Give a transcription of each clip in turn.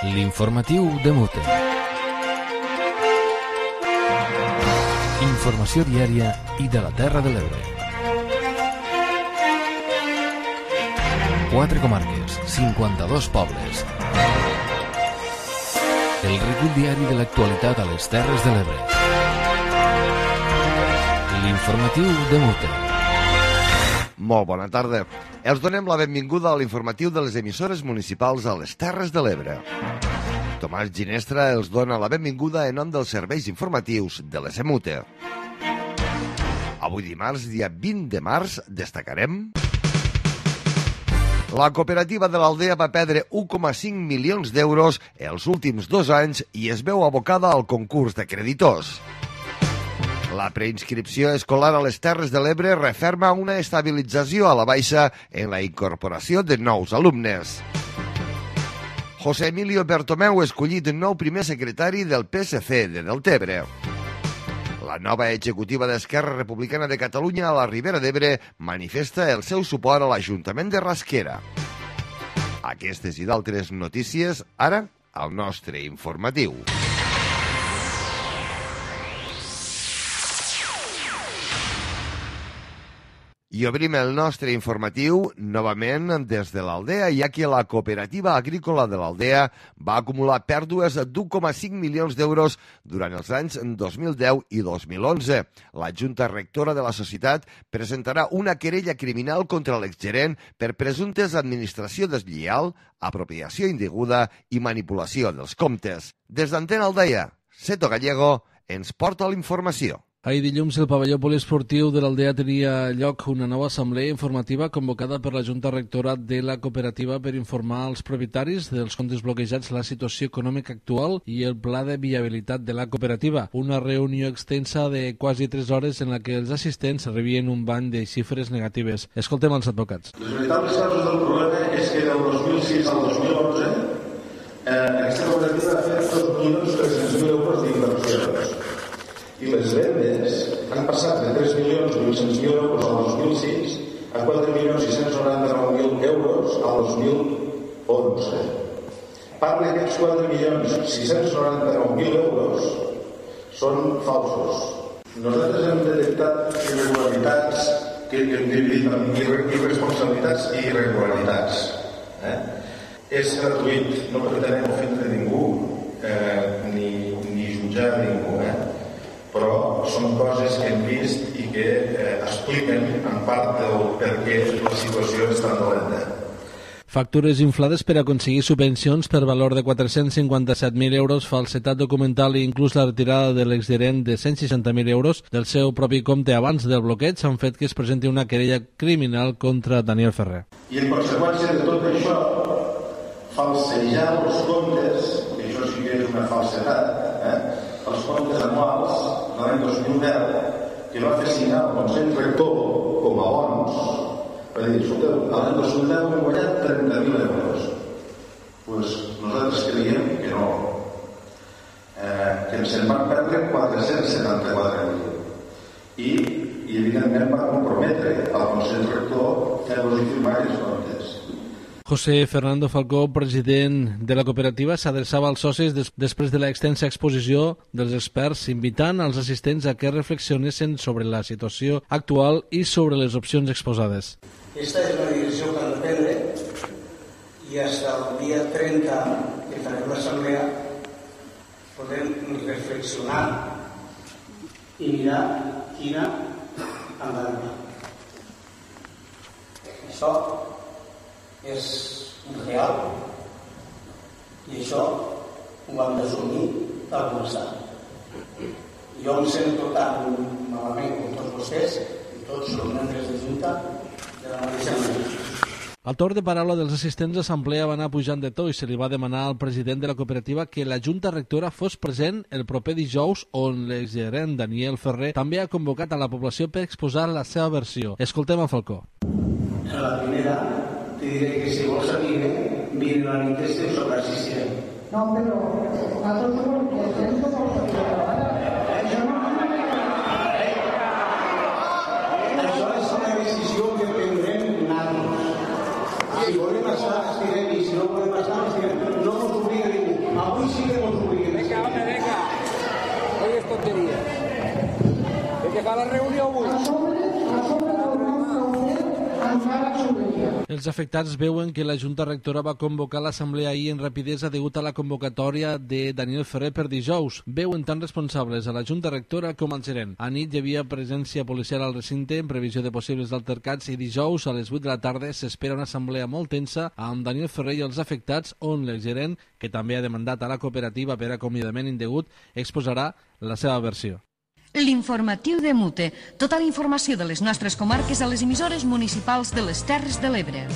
L'informatiu de Mute. Informació diària i de la Terra de l'Ebre. 4 comarques, 52 pobles. El recull diari de l'actualitat a les Terres de l'Ebre. L'informatiu de Mute. Molt bona tarda. Els donem la benvinguda a l'informatiu de les emissores municipals a les Terres de l'Ebre. Tomàs Ginestra els dona la benvinguda en nom dels serveis informatius de l'ESEMUTE. Avui dimarts, dia 20 de març, destacarem... La cooperativa de l'Aldea va perdre 1,5 milions d'euros els últims 2 anys i es veu abocada al concurs de creditors. La preinscripció escolar a les Terres de l'Ebre referma una estabilització a la baixa en la incorporació de nous alumnes. José Emilio Bertomeu escollit nou primer secretari del PSC de Deltebre. La nova executiva d'Esquerra Republicana de Catalunya a la Ribera d'Ebre manifesta el seu suport a l'Ajuntament de Rasquera. Aquestes i d'altres notícies, ara, al nostre informatiu. I obrim el nostre informatiu novament des de l'Aldea, ja que la cooperativa agrícola de l'Aldea va acumular pèrdues d'1,5 milions d'euros durant els anys 2010 i 2011. La Junta Rectora de la societat presentarà una querella criminal contra l'exgerent per presumptes administració deslleial, apropiació indeguda i manipulació dels comptes. Des d'Antena Aldea, Seto Gallego ens porta la informació. Ahir dilluns, el pavelló poliesportiu de l'Aldea tenia lloc una nova assemblea informativa convocada per la Junta Rectora de la cooperativa per informar als propietaris dels comptes bloquejats la situació econòmica actual i el pla de viabilitat de la cooperativa. Una reunió extensa de quasi 3 hores en la que els assistents rebien un bany de xifres negatives. Escoltem els advocats. Les veritables causes del problema és que del 2006 al 2011 aquesta cooperativa ha fet 2.300.000 euros d'inversions. I les vendes han passat de 3.800.000 euros al 2006 a 4.699.000 euros al 2011. Part d'aquests 4.699.000 euros són falsos. Nosaltres hem detectat irregularitats que hem dividit en irresponsabilitats i irregularitats. És gratuït, no pretenem ofendre ningú ni jutjar ningú, però són coses que hem vist i que expliquen en part del per què la situació és tan dolenta. Factures inflades per aconseguir subvencions per valor de 457.000 euros, falsetat documental i inclús la retirada de l'exgerent de 160.000 euros del seu propi compte abans del bloqueig han fet que es presenti una querella criminal contra Daniel Ferrer. I en conseqüència de tot això, falsejar els comptes, que això sí que és una falsedat, els comptes anuals de l'any 2010 que va fer signar el Consell Rector com a bons, va dir, escolteu, l'any 2010 hem guanyat 30.000 euros. Doncs nosaltres creiem que no, que se'n van perdre 474.000 i evidentment va comprometre al Consell Rector fer-los firmar els comptes. José Fernando Falcó, president de la cooperativa, s'adreçava als socis després de l'extensa exposició dels experts, invitant als assistents a que reflexionessin sobre la situació actual i sobre les opcions exposades. Esta és la direcció que han de prendre i fins al dia 30 que farem l'assemblea podem reflexionar i mirar quina han d'anar. Això és real i això ho hem d'assumir tal com està. Jo em sento tan malament com tots vostès i tots som membres de Junta de la mateixa manera. Al torn de paraula dels assistents, l'assemblea va anar pujant de to i se li va demanar al president de la cooperativa que la Junta Rectora fos present el proper dijous, on l'exgerent Daniel Ferrer també ha convocat a la població per exposar la seva versió. Escoltem a Falcó. En la primera te diré que si vols saber, mira la nit estem sobre assistent. No, però nosaltres no estem sobre Això és una decisió que prendrem nosaltres. Si volem estar, estirem, i si no volem estar, estirem. No ens obliga ningú. Els afectats veuen que la Junta Rectora va convocar l'assemblea ahir en rapidesa degut a la convocatòria de Daniel Ferrer per dijous. Veuen tan responsables a la Junta Rectora com al gerent. A nit hi havia presència policial al recinte en previsió de possibles altercats i dijous a les 8 de la tarda s'espera una assemblea molt tensa amb Daniel Ferrer i els afectats on el gerent, que també ha demandat a la cooperativa per acomiadament indegut, exposarà la seva versió. L'informatiu de Mute. Tota la informació de les nostres comarques a les emissores municipals de les Terres de l'Ebre.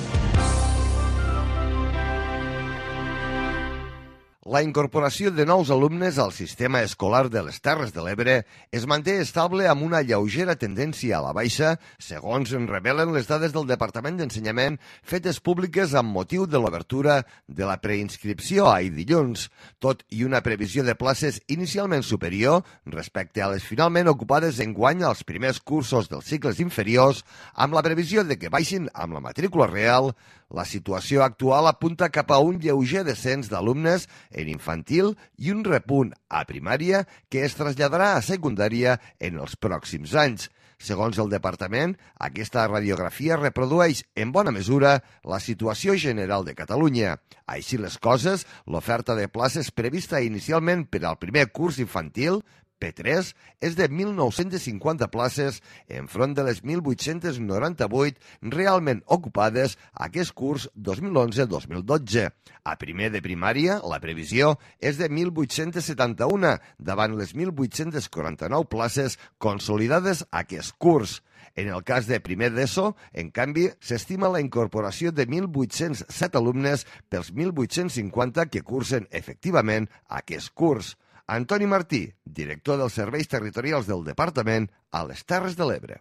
La incorporació de nous alumnes al sistema escolar de les Terres de l'Ebre es manté estable amb una lleugera tendència a la baixa, segons en revelen les dades del Departament d'Ensenyament fetes públiques amb motiu de l'obertura de la preinscripció ahir dilluns, tot i una previsió de places inicialment superior respecte a les finalment ocupades enguany als primers cursos dels cicles inferiors, amb la previsió de que baixin amb la matrícula real. La situació actual apunta cap a un lleuger descens d'alumnes en infantil i un repunt a primària que es traslladarà a secundària en els pròxims anys. Segons el departament, aquesta radiografia reprodueix en bona mesura la situació general de Catalunya. Així les coses, l'oferta de places prevista inicialment per al primer curs infantil, P3, és de 1.950 places enfront de les 1.898 realment ocupades aquest curs 2011-2012. A primer de primària, la previsió és de 1.871 davant les 1.849 places consolidades aquest curs. En el cas de primer d'ESO, en canvi, s'estima la incorporació de 1.807 alumnes pels 1.850 que cursen efectivament aquest curs. Antoni Martí, director dels Serveis Territorials del Departament a les Terres de l'Ebre.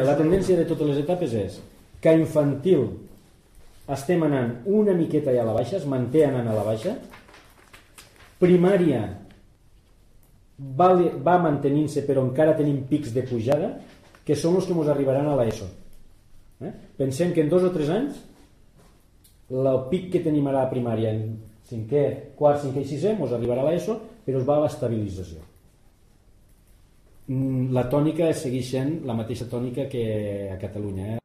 La tendència de totes les etapes és que a infantil estem anant una miqueta ja a la baixa, es manté anant a la baixa. Primària va mantenint-se, però encara tenim pics de pujada, que són els que ens arribaran a l'ESO. Pensem que en 2 o 3 anys el pic que tenim ara a primària en quart, cinquè i sisè ens arribarà a l'ESO, però es va a l'estabilització. La tònica segueix sent la mateixa tònica que a Catalunya.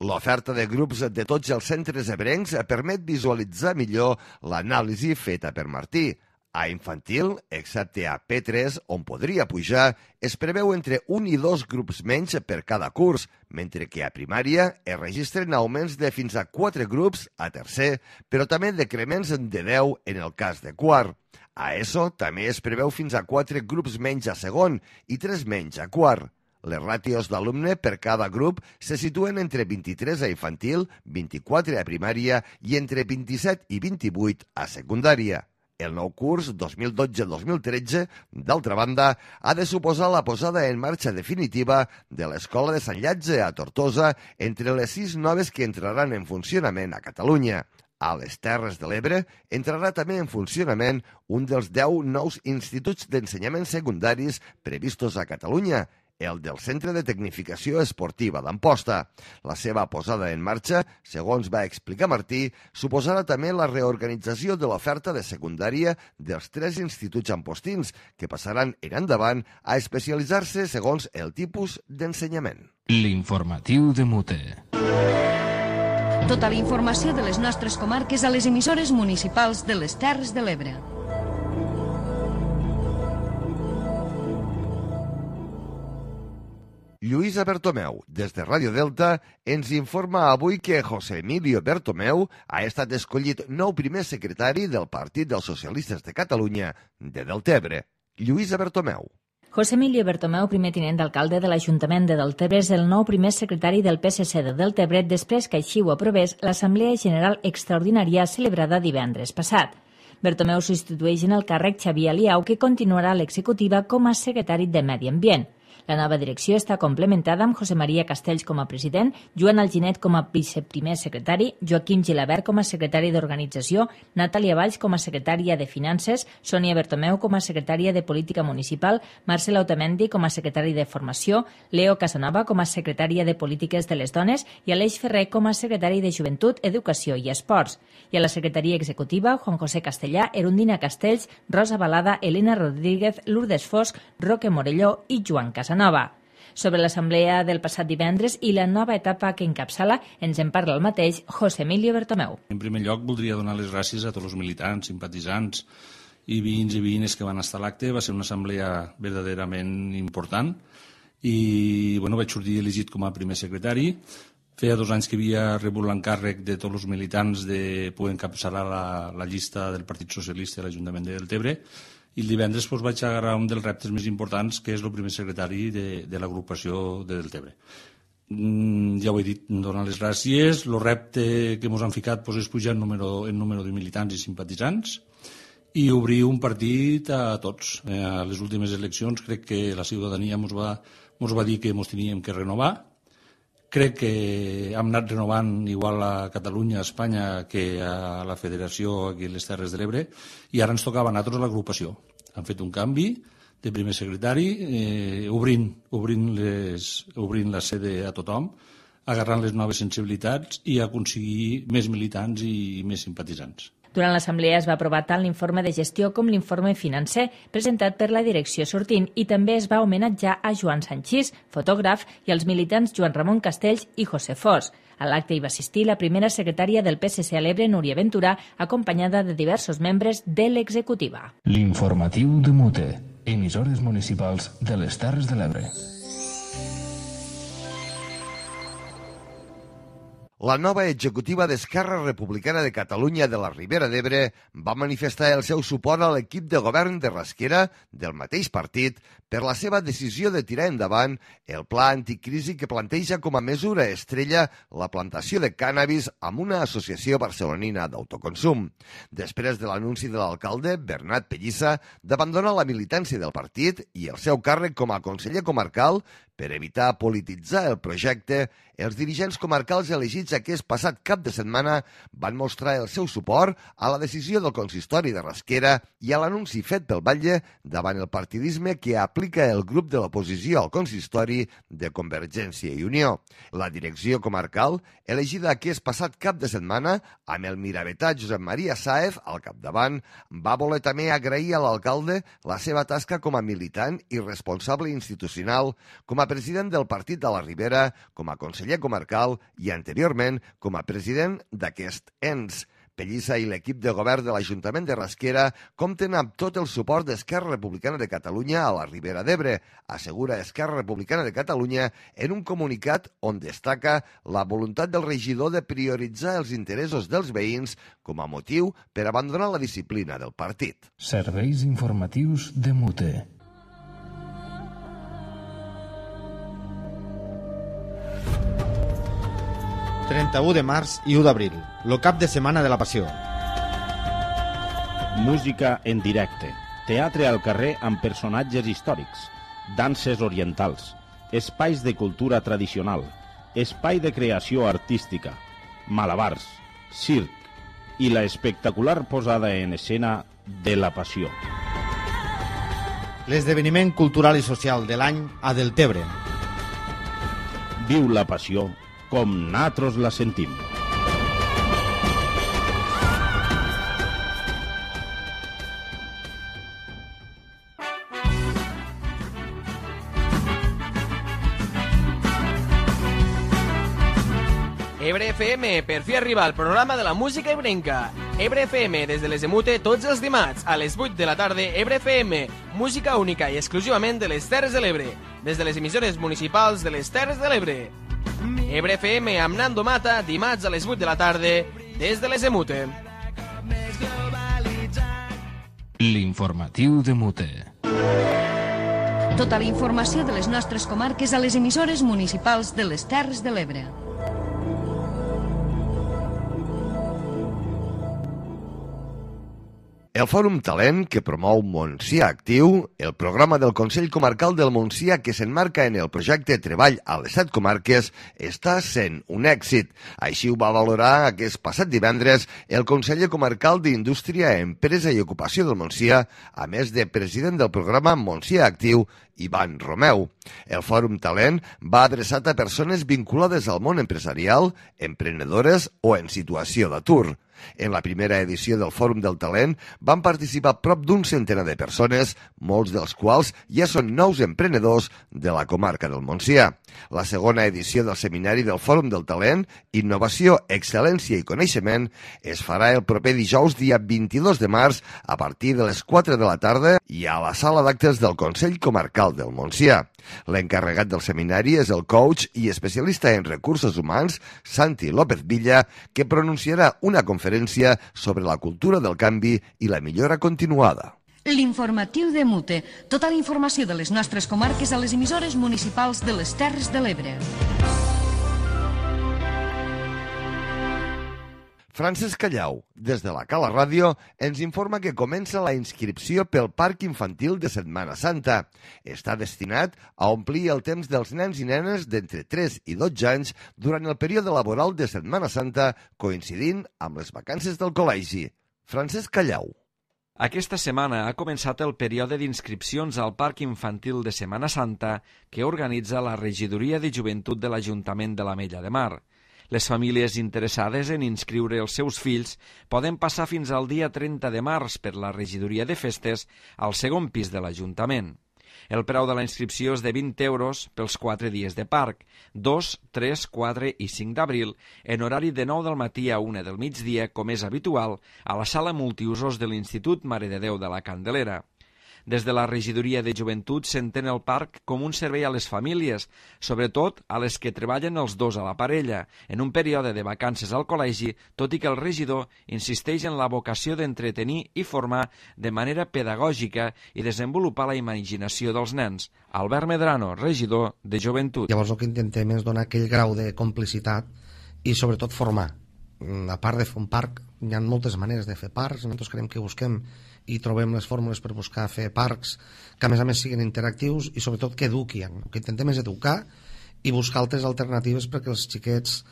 L'oferta de grups de tots els centres ebrencs permet visualitzar millor l'anàlisi feta per Martí. A infantil, excepte a P3, on podria pujar, es preveu entre 1 i 2 grups menys per cada curs, mentre que a primària es registren augments de fins a 4 grups a tercer, però també decrements de 10 en el cas de quart. A ESO també es preveu fins a 4 grups menys a segon i 3 menys a quart. Les ràtios d'alumne per cada grup se situen entre 23 a infantil, 24 a primària i entre 27 i 28 a secundària. El nou curs 2012-2013, d'altra banda, ha de suposar la posada en marxa definitiva de l'Escola de Sant Llatge a Tortosa entre les 6 noves que entraran en funcionament a Catalunya. A les Terres de l'Ebre entrarà també en funcionament un dels 10 nous instituts d'ensenyament secundaris previstos a Catalunya, el del Centre de Tecnificació Esportiva d'Amposta. La seva posada en marxa, segons va explicar Martí, suposarà també la reorganització de l'oferta de secundària dels 3 instituts ampostins, que passaran en endavant a especialitzar-se segons el tipus d'ensenyament. L'informatiu de Mute. Tota la informació de les nostres comarques a les emissores municipals de les Terres de l'Ebre. Lluïsa Bertomeu, des de Ràdio Delta, ens informa avui que José Emilio Bertomeu ha estat escollit nou primer secretari del Partit dels Socialistes de Catalunya de Deltebre. Lluïsa Bertomeu. José Emilio Bertomeu, primer tinent d'alcalde de l'Ajuntament de Deltebre, és el nou primer secretari del PSC de Deltebre després que així ho aprovés l'Assemblea General Extraordinària celebrada divendres passat. Bertomeu substitueix en el càrrec Xavier Aliau, que continuarà a l'executiva com a secretari de Medi Ambient. La nova direcció està complementada amb José María Castells com a president, Joan Alginet com a viceprimer secretari, Joaquim Gilabert com a secretari d'Organització, Natàlia Valls com a secretària de Finances, Sònia Bertomeu com a secretària de Política Municipal, Marcela Otamendi com a secretari de Formació, Leo Casanova com a secretària de Polítiques de les Dones i Aleix Ferrer com a secretari de Joventut, Educació i Esports. I a la secretaria executiva, Juan José Castellà, Erundina Castells, Rosa Balada, Elena Rodríguez, Lourdes Fosc, Roque Morelló i Joan Casanova. Sobre l'assemblea del passat divendres i la nova etapa que encapçala, ens en parla el mateix José Emilio Bertomeu. En primer lloc, voldria donar les gràcies a tots els militants, simpatitzants i veïns i veïnes que van estar a l'acte. Va ser una assemblea verdaderament important i vaig sortir elegit com a primer secretari. Feia 2 anys que havia rebut l'encàrrec de tots els militants de poder encapçalar la llista del Partit Socialista a l'Ajuntament de Deltebre i el divendres vaig agarrar un dels reptes més importants, que és el primer secretari de l'agrupació de Deltebre. Ja ho he dit, donar les gràcies. El repte que ens han ficat és pujar en número de militants i simpatitzants i obrir un partit a tots. A les últimes eleccions crec que la ciutadania ens va dir que ens teníem que renovar. Crec que hem anat renovant igual a Catalunya, a Espanya, que a la Federació aquí a les Terres de l'Ebre, i ara ens tocava a nosaltres l'agrupació. Han fet un canvi de primer secretari, obrint la sede a tothom, agarrant les noves sensibilitats i aconseguir més militants i més simpatitzants. Durant l'assemblea es va aprovar tant l'informe de gestió com l'informe financer presentat per la direcció sortint i també es va homenatjar a Joan Sanchís, fotògraf, i als militants Joan Ramon Castells i José Fos. A l'acte hi va assistir la primera secretària del PSC a l'Ebre, Núria Ventura, acompanyada de diversos membres de l'executiva. L'informatiu de Mute, emissores municipals de les Terres de l'Ebre. La nova executiva d'Esquerra Republicana de Catalunya de la Ribera d'Ebre va manifestar el seu suport a l'equip de govern de Rasquera del mateix partit per la seva decisió de tirar endavant el pla anticrisi que planteja com a mesura estrella la plantació de cànnabis amb una associació barcelonina d'autoconsum. Després de l'anunci de l'alcalde, Bernat Pellissa, d'abandonar la militància del partit i el seu càrrec com a conseller comarcal per evitar polititzar el projecte, els dirigents comarcals elegits aquest passat cap de setmana van mostrar el seu suport a la decisió del consistori de Rasquera i a l'anunci fet pel batlle davant el partidisme que aplica el grup de l'oposició al consistori de Convergència i Unió. La direcció comarcal, elegida aquest passat cap de setmana, amb el miravetà Josep Maria Sáez al capdavant, va voler també agrair a l'alcalde la seva tasca com a militant i responsable institucional, com a president del Partit de la Ribera, com a conseller comarcal i anteriorment com a president d'aquest ens. Pellissa i l'equip de govern de l'Ajuntament de Rasquera compten amb tot el suport d'Esquerra Republicana de Catalunya a la Ribera d'Ebre, assegura Esquerra Republicana de Catalunya en un comunicat on destaca la voluntat del regidor de prioritzar els interessos dels veïns com a motiu per abandonar la disciplina del partit. Serveis informatius de Mute. 31 de març i 1 d'abril, lo cap de setmana de la Passió. Música en directe, teatre al carrer amb personatges històrics, danses orientals, espais de cultura tradicional, espai de creació artística, malabars, circ i la espectacular posada en escena de la Passió. L'esdeveniment cultural i social de l'any a Deltebre. Viu la Passió com nosaltres la sentim. Ebre FM, per fi arriba al programa de la música ebrenca. Ebre FM, des de les de Mute, tots els dimarts, a les 8 de la tarda, Ebre FM, música única i exclusivament de les Terres de l'Ebre, des de les emissores municipals de les Terres de l'Ebre. Ebre FM amb Nando Mata, dimarts a les 8 de la tarda, des de les de Mute. L'informatiu de Mute. Tota la informació de les nostres comarques a les emissores municipals de les Terres de l'Ebre. El Fòrum Talent, que promou Montsià Actiu, el programa del Consell Comarcal del Montsià que s'enmarca en el projecte Treball a les 7 comarques, està sent un èxit. Així ho va valorar aquest passat divendres el conseller comarcal d'Indústria, Empresa i Ocupació del Montsià, a més de president del programa Montsià Actiu, Ivan Romeu. El Fòrum Talent va adreçat a persones vinculades al món empresarial, emprenedores o en situació d'atur. En la primera edició del Fòrum del Talent van participar prop d'un centenar de persones, molts dels quals ja són nous emprenedors de la comarca del Montsià. La segona edició del Seminari del Fòrum del Talent, Innovació, Excel·lència i Coneixement, es farà el proper dijous, dia 22 de març, a partir de les 4 de la tarda i a la sala d'actes del Consell Comarcal del Montsià. L'encarregat del seminari és el coach i especialista en recursos humans, Santi López Villa, que pronunciarà una conferència sobre la cultura del canvi i la millora continuada. L'informatiu de Mute. Tota la informació de les nostres comarques a les emissores municipals de les Terres de l'Ebre. Francesc Callau, des de la Cala Ràdio, ens informa que comença la inscripció pel Parc Infantil de Setmana Santa. Està destinat a omplir el temps dels nens i nenes d'entre 3 i 12 anys durant el període laboral de Setmana Santa, coincidint amb les vacances del col·legi. Francesc Callau. Aquesta setmana ha començat el període d'inscripcions al Parc Infantil de Setmana Santa que organitza la Regidoria de Joventut de l'Ajuntament de l'Ametlla de Mar. Les famílies interessades en inscriure els seus fills poden passar fins al dia 30 de març per la Regidoria de Festes al segon pis de l'Ajuntament. El preu de la inscripció és de 20 euros pels 4 dies de parc, 2, 3, 4 i 5 d'abril, en horari de 9 del matí a 1 del migdia, com és habitual, a la sala multiusos de l'Institut Mare de Déu de la Candelera. Des de la Regidoria de Joventut s'entén el parc com un servei a les famílies, sobretot a les que treballen els dos a la parella, en un període de vacances al col·legi, tot i que el regidor insisteix en la vocació d'entretenir i formar de manera pedagògica i desenvolupar la imaginació dels nens. Albert Medrano, regidor de Joventut. Llavors el que intentem és donar aquell grau de complicitat i sobretot formar. A part de fer un parc, hi ha moltes maneres de fer parcs, nosaltres creiem que busquem i trobem les fórmules per buscar fer parcs que a més siguin interactius i sobretot que eduquin. El que intentem és educar i buscar altres alternatives perquè els xiquets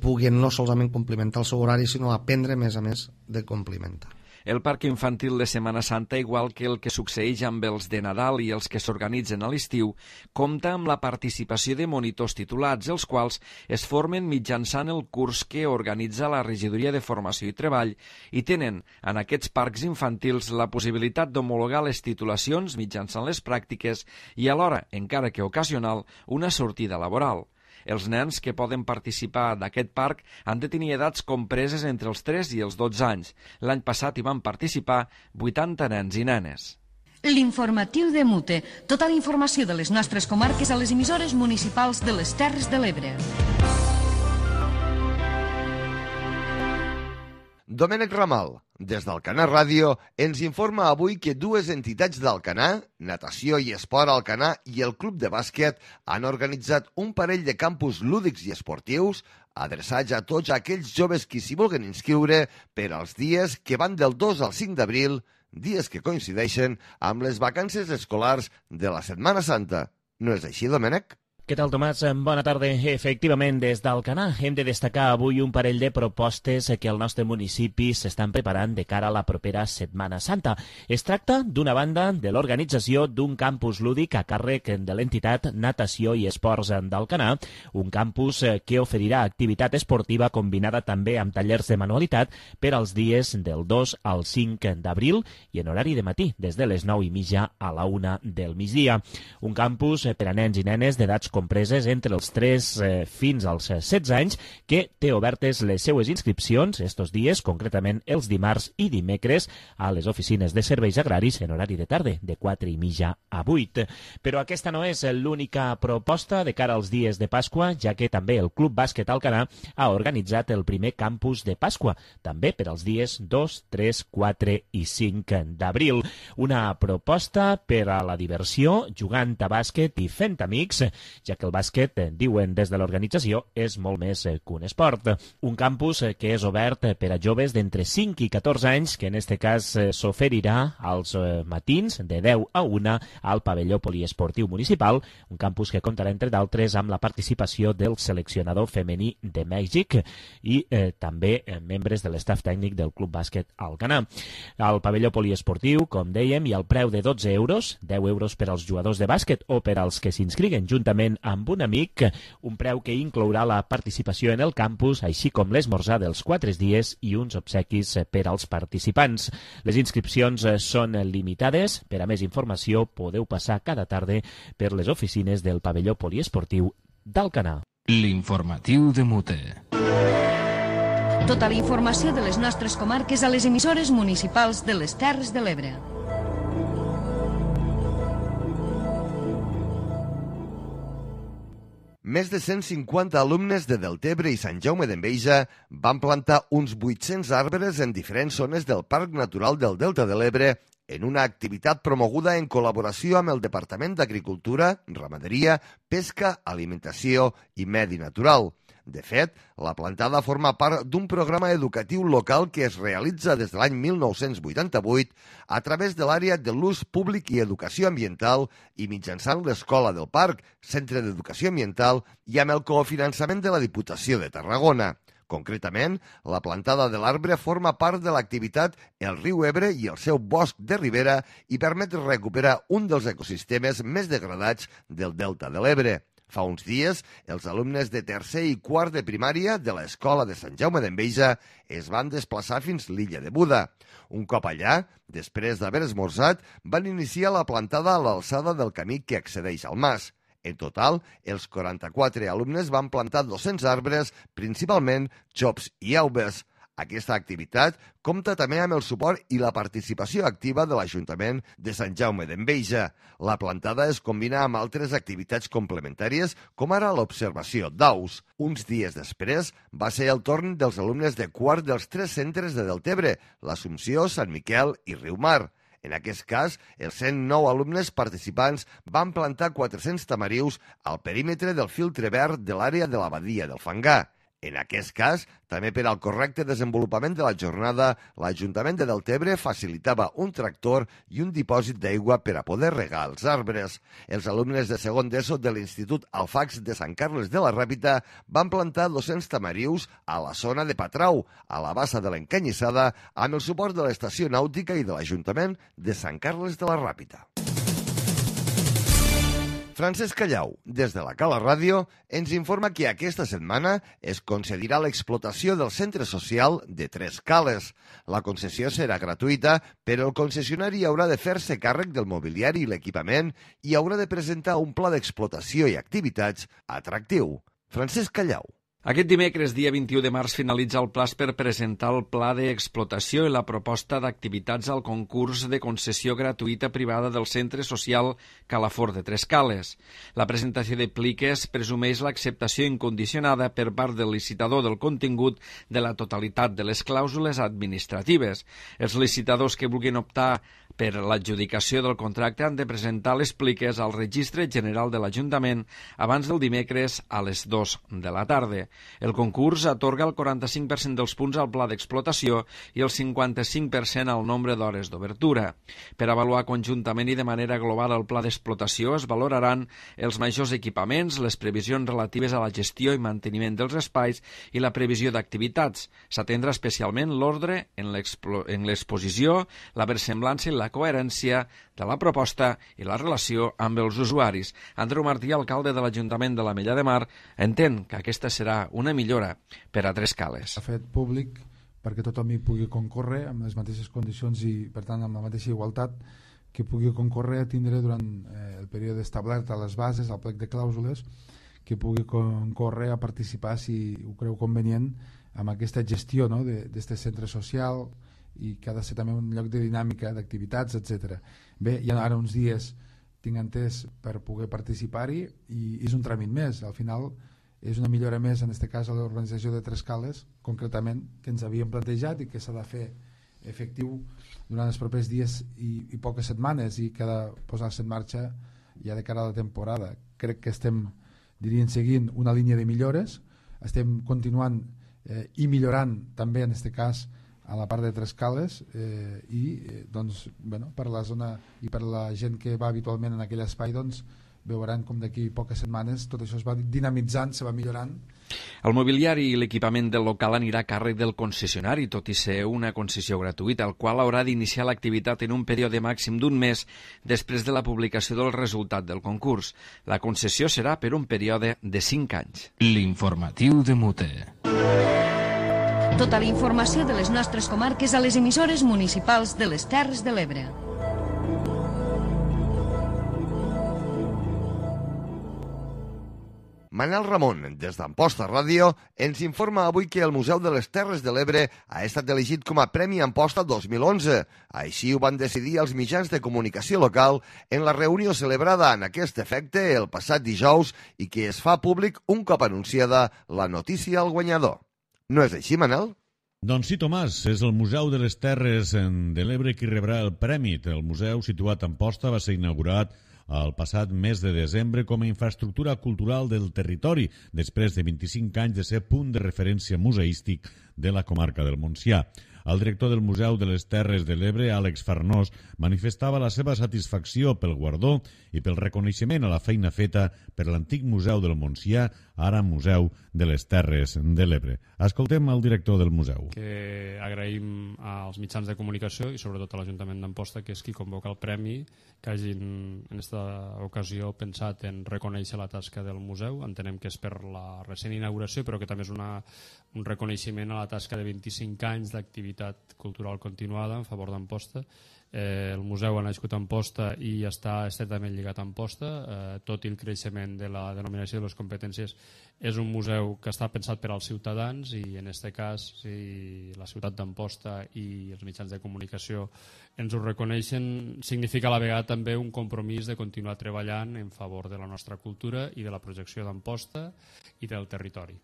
puguin no solament complementar el seu horari, sinó aprendre a més de complementar. El Parc Infantil de Setmana Santa, igual que el que succeeix amb els de Nadal i els que s'organitzen a l'estiu, compta amb la participació de monitors titulats, els quals es formen mitjançant el curs que organitza la Regidoria de Formació i Treball i tenen en aquests parcs infantils la possibilitat d'homologar les titulacions mitjançant les pràctiques i alhora, encara que ocasional, una sortida laboral. Els nens que poden participar d'aquest parc han de tenir edats compreses entre els 3 i els 12 anys. L'any passat hi van participar 80 nens i nenes. L'informatiu de Mute. Tota la informació de les nostres comarques a les emissores municipals de les Terres de l'Ebre. Domènec Ramal, des d'Alcanar Ràdio, ens informa avui que dues entitats d'Alcanar, Natació i Esport Alcanar i el Club de Bàsquet, han organitzat un parell de campus lúdics i esportius adreçats a tots aquells joves que s'hi vulguin inscriure per als dies que van del 2 al 5 d'abril, dies que coincideixen amb les vacances escolars de la Setmana Santa. No és així, Domènec? Què tal, Tomàs? Bona tarda. Efectivament, des d'Alcanar hem de destacar avui un parell de propostes que al nostre municipi s'estan preparant de cara a la propera Setmana Santa. Es tracta, d'una banda, de l'organització d'un campus lúdic a càrrec de l'entitat Natació i Esports d'Alcanar, un campus que oferirà activitat esportiva combinada també amb tallers de manualitat per als dies del 2 al 5 d'abril i en horari de matí, des de les 9:30 a la 1 del migdia. Un campus per a nens i nenes d'edats compreses entre els 3 fins als 16 anys, que té obertes les seues inscripcions estos dies, concretament els dimarts i dimecres, a les oficines de serveis agraris en horari de tarda, de 4:30 a 8. Però aquesta no és l'única proposta de cara als dies de Pasqua, ja que també el Club Bàsquet Alcanar ha organitzat el primer campus de Pasqua, també per als dies 2, 3, 4 i 5 d'abril. Una proposta per a la diversió, jugant a bàsquet i fent amics, ja que el bàsquet, diuen des de l'organització, és molt més que un esport. Un campus que és obert per a joves d'entre 5 i 14 anys, que en aquest cas s'oferirà als matins de 10 a 1 al pavelló poliesportiu municipal, un campus que comptarà, entre d'altres, amb la participació del seleccionador femení de Mèxic i també membres de l'estaf tècnic del Club Bàsquet Alcanar. Al pavelló poliesportiu, com dèiem, hi ha el preu de 12 euros, 10 euros per als jugadors de bàsquet o per als que s'inscriguen juntament dinerament amb un amic, un preu que inclourà la participació en el campus, així com l'esmorzar dels 4 dies i uns obsequis per als participants. Les inscripcions són limitades. Per a més informació podeu passar cada tarda per les oficines del pavelló poliesportiu d'Alcanar. L'informatiu de Mute. Tota la informació de les nostres comarques a les emissores municipals de les Terres de l'Ebre. Més de 150 alumnes de Deltebre i Sant Jaume d'Enveja van plantar uns 800 arbres en diferents zones del Parc Natural del Delta de l'Ebre en una activitat promoguda en col·laboració amb el Departament d'Agricultura, Ramaderia, Pesca, Alimentació i Medi Natural. De fet, la plantada forma part d'un programa educatiu local que es realitza des de l'any 1988 a través de l'àrea de l'ús públic i educació ambiental i mitjançant l'Escola del Parc, Centre d'Educació Ambiental i amb el cofinançament de la Diputació de Tarragona. Concretament, la plantada de l'arbre forma part de l'activitat El riu Ebre i el seu bosc de ribera i permet recuperar un dels ecosistemes més degradats del Delta de l'Ebre. Fa uns dies, els alumnes de tercer i quart de primària de l'Escola de Sant Jaume d'Enveja es van desplaçar fins l'illa de Buda. Un cop allà, després d'haver esmorzat, van iniciar la plantada a l'alçada del camí que accedeix al mas. En total, els 44 alumnes van plantar 200 arbres, principalment xops i aubes. Aquesta activitat compta també amb el suport i la participació activa de l'Ajuntament de Sant Jaume d'Enveja. La plantada es combina amb altres activitats complementàries, com ara l'observació d'aus. Uns dies després va ser el torn dels alumnes de quart dels 3 centres de Deltebre, l'Assumpció, Sant Miquel i Riumar. En aquest cas, els 109 alumnes participants van plantar 400 tamarius al perímetre del filtre verd de l'àrea de la badia del Fangar. En aquest cas, també per al correcte desenvolupament de la jornada, l'Ajuntament de Deltebre facilitava un tractor i un dipòsit d'aigua per a poder regar els arbres. Els alumnes de segon d'ESO de l'Institut Alfax de Sant Carles de la Ràpita van plantar 200 tamarius a la zona de Patrau, a la bassa de l'Encanyissada, amb el suport de l'Estació Nàutica i de l'Ajuntament de Sant Carles de la Ràpita. Francesc Callau, des de la Cala Ràdio, ens informa que aquesta setmana es concedirà l'explotació del centre social de Tres Cales. La concessió serà gratuïta, però el concessionari haurà de fer-se càrrec del mobiliari i l'equipament i haurà de presentar un pla d'explotació i activitats atractiu. Francesc Callau. Aquest dimecres, dia 21 de març, finalitza el plaç per presentar el pla d'explotació i la proposta d'activitats al concurs de concessió gratuïta privada del Centre Social Calafort de Tres Cales. La presentació de pliques presumeix l'acceptació incondicionada per part del licitador del contingut de la totalitat de les clàusules administratives. Els licitadors que vulguin optar per l'adjudicació del contracte han de presentar les pliques al Registre General de l'Ajuntament abans del dimecres a les 2 de la tarda. El concurs atorga el 45% dels punts al pla d'explotació i el 55% al nombre d'hores d'obertura. Per avaluar conjuntament i de manera global el pla d'explotació es valoraran els majors equipaments, les previsions relatives a la gestió i manteniment dels espais i la previsió d'activitats. S'atendrà especialment l'ordre en l'exposició, la versemblança i la coherència de la proposta i la relació amb els usuaris. Andreu Martí, alcalde de l'Ajuntament de l'Ametlla de Mar, entén que aquesta serà una millora per a Tres Cales. Ha fet públic perquè tothom hi pugui concórrer amb les mateixes condicions i, per tant, amb la mateixa igualtat, que pugui concórrer a tindre durant el període establert a les bases, al plec de clàusules, que pugui concórrer a participar, si ho creu convenient, amb aquesta gestió, no?, d'aquest centre social, i que ha de ser també un lloc de dinàmica, d'activitats, etc. Bé, hi ha ara uns dies, tinc entès, per poder participar-hi i és un tràmit més. Al final és una millora més, en aquest cas, a l'organització de Tres Cales, concretament, que ens havíem plantejat i que s'ha de fer efectiu durant els propers dies i poques setmanes i que ha de posar-se en marxa ja de cara a la temporada. Crec que estem, diríem, seguint una línia de millores, estem continuant i millorant també, en aquest cas, a la part de Tres Cales doncs, bueno, per la zona i per la gent que va habitualment en aquell espai, doncs, veuran com d'aquí poques setmanes tot això es va dinamitzant, se va millorant. El mobiliari i l'equipament del local anirà a càrrec del concessionari, tot i ser una concessió gratuïta, el qual haurà d'iniciar l'activitat en un període màxim d'un mes després de la publicació del resultat del concurs. La concessió serà per un període de 5 anys. L'informatiu de Mute. Tota la informació de les nostres comarques a les emissores municipals de les Terres de l'Ebre. Manel Ramon, des d'Amposta Ràdio, ens informa avui que el Museu de les Terres de l'Ebre ha estat elegit com a Premi Amposta 2011. Així ho van decidir els mitjans de comunicació local en la reunió celebrada en aquest efecte el passat dijous i que es fa públic un cop anunciada la notícia al guanyador. No és així, Manel? Doncs sí, Tomàs, és el Museu de les Terres de l'Ebre qui rebrà el premi. El museu, situat a Amposta, va ser inaugurat el passat mes de desembre com a infraestructura cultural del territori, després de 25 anys de ser punt de referència museístic de la comarca del Montsià. El director del Museu de les Terres de l'Ebre, Àlex Farnós, manifestava la seva satisfacció pel guardó i pel reconeixement a la feina feta per l'antic Museu del Montsià, ara Museu de les Terres de l'Ebre. Escoltem el director del museu. Que agraïm als mitjans de comunicació i sobretot a l'Ajuntament d'Amposta, que és qui convoca el premi, que hagin en aquesta ocasió pensat en reconèixer la tasca del museu. Entenem que és per la recent inauguració, però que també és un reconeixement a la tasca de 25 anys d'activitat cultural continuada en favor d'Amposta. El museu ha nascut a Amposta i està estretament lligat a Amposta, tot i el creixement de la denominació de les competències. És un museu que està pensat per als ciutadans i en aquest cas si la ciutat d'Amposta i els mitjans de comunicació ens ho reconeixen, significa a la vegada també un compromís de continuar treballant en favor de la nostra cultura i de la projecció d'Amposta i del territori.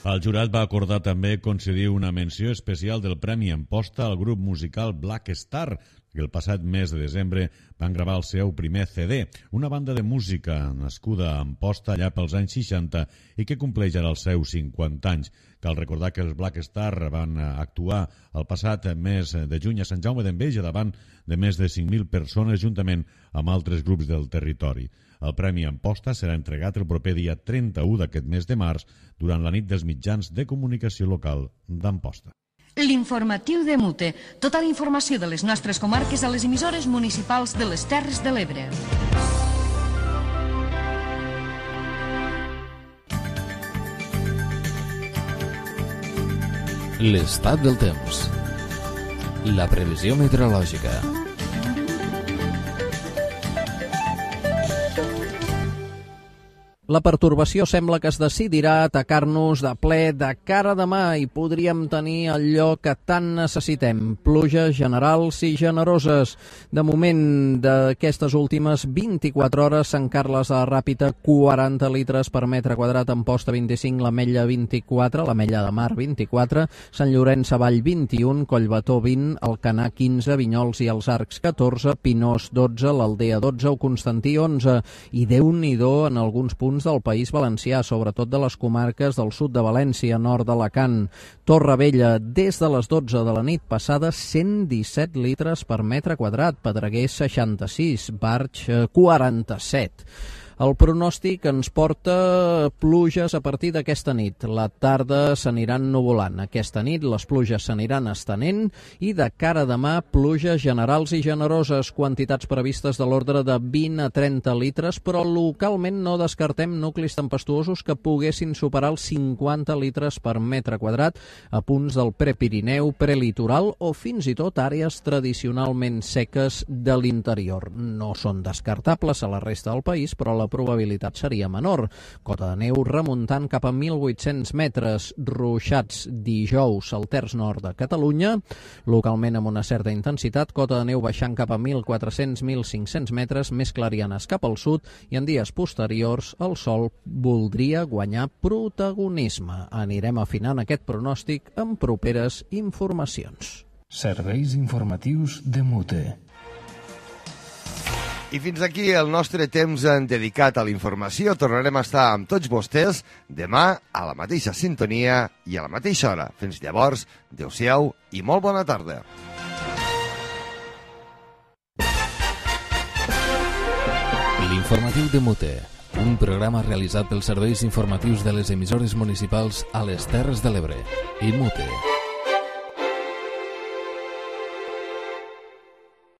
El jurat va acordar també concedir una menció especial del Premi Amposta al grup musical Black Star, que el passat mes de desembre van gravar el seu primer CD, una banda de música nascuda a Amposta allà pels anys 60 i que compleix ara els seus 50 anys. Cal recordar que els Black Star van actuar el passat mes de juny a Sant Jaume d'Enveja davant de més de 5.000 persones juntament amb altres grups del territori. El Premi Amposta serà entregat el proper dia 31 d'aquest mes de març durant la nit dels mitjans de comunicació local d'Amposta. L'informatiu de Mute. Tota la informació de les nostres comarques a les emissores municipals de les Terres de l'Ebre. L'estat del temps. La previsió meteorològica. La pertorbació sembla que es decidirà a atacar-nos de ple de cara a demà i podríem tenir allò que tant necessitem, pluges generals i generoses. De moment, d'aquestes últimes 24 hores, Sant Carles de la Ràpita, 40 litres per metre quadrat, Amposta 25, l'Ametlla 24, l'Ametlla de Mar 24, Sant Llorenç Savall 21, Collbató 20, Alcanar 15, Vinyols i els Arcs 14, Pinós 12, l'Aldea 12, o Constantí 11, i Déu-n'hi-do en alguns punts del País Valencià, sobretot de les comarques del sud de València, nord d'Alacant. Torrevella, des de les 12 de la nit passada, 117 litres per metre quadrat, Pedreguer 66, Barx 47. El pronòstic ens porta pluges a partir d'aquesta nit. La tarda s'aniran nuvolant. Aquesta nit les pluges s'aniran estenent i de cara a demà pluges generals i generoses, quantitats previstes de l'ordre de 20 a 30 litres, però localment no descartem nuclis tempestuosos que poguessin superar els 50 litres per metre quadrat a punts del Prepirineu, prelitoral o fins i tot àrees tradicionalment seques de l'interior. No són descartables a la resta del país, però la probabilitat seria menor. Cota de neu remuntant cap a 1.800 metres, ruixats dijous al terç nord de Catalunya, localment amb una certa intensitat, cota de neu baixant cap a 1.400-1.500 metres, més clarianes cap al sud, i en dies posteriors el sol voldria guanyar protagonisme. Anirem afinant aquest pronòstic amb properes informacions. Serveis informatius de Mute. I fins aquí el nostre temps dedicat a la informació. Tornarem a estar amb tots vostès demà a la mateixa sintonia i a la mateixa hora. Fins llavors, adéu-siau i molt bona tarda. L'informatiu de Mute, un programa realitzat pels serveis informatius de les emissores municipals a les Terres de l'Ebre i Mute.